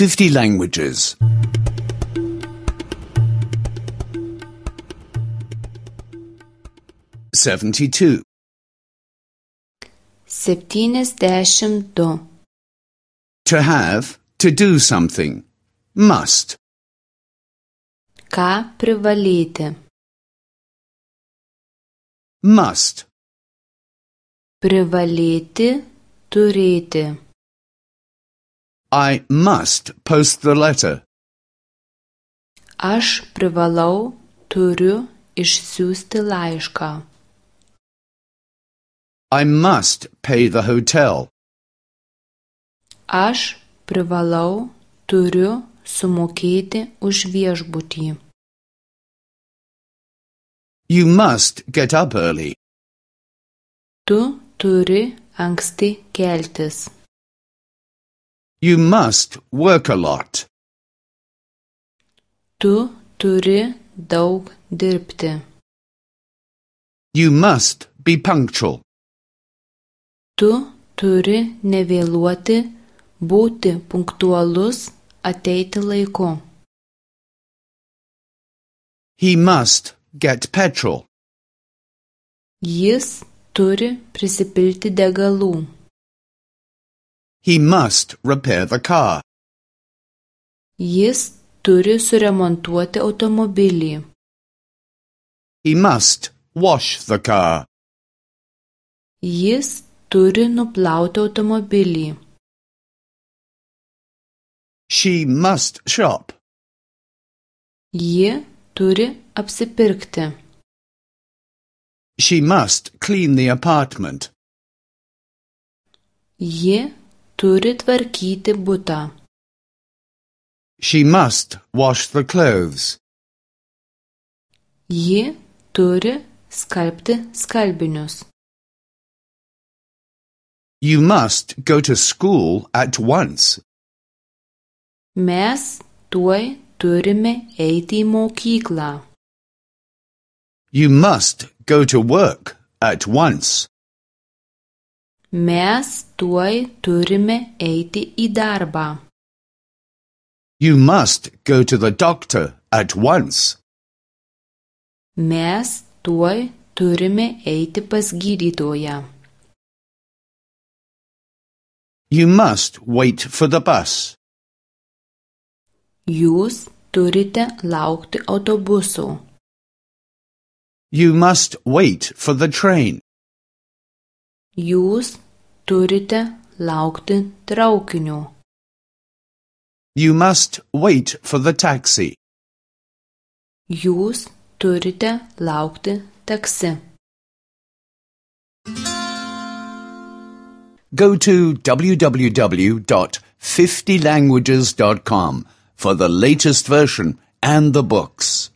50 languages. 72. 72. To have, to do something. Must. Ką privalėti? Must. Privalėti, turėti. I must post the letter. Aš privalau, turiu išsiųsti laišką. I must pay the hotel. Aš privalau, turiu sumokėti už viešbutį. You must get up early. Tu turi anksti keltis. You must work a lot. Tu turi daug dirbti. You must be punctual. Tu turi nevėluoti, būti punktualus, ateiti laiku. He must get petrol. Jis turi prisipilti degalų. He must repair the car. Jis turi suremontuoti automobilį. He must wash the car. Jis turi nuplauti automobilį. She must shop. Ji turi apsipirkti. She must clean the apartment. Ji turi tvarkyti butą. She must wash the clothes. Ji turi skalbti skalbinius. You must go to school at once. Mes tuoj turime eiti į mokyklą. You must go to work at once. Mes tuoj turime eiti į darbą. You must go to the doctor at once. Mes tuoj turime eiti pas gydytoją. You must wait for the bus. Jūs turite laukti autobuso. You must wait for the train. Jūs turite laukti traukinio. You must wait for the taxi. Jūs turite laukti taksi. Go to www.50languages.com for the latest version and the books.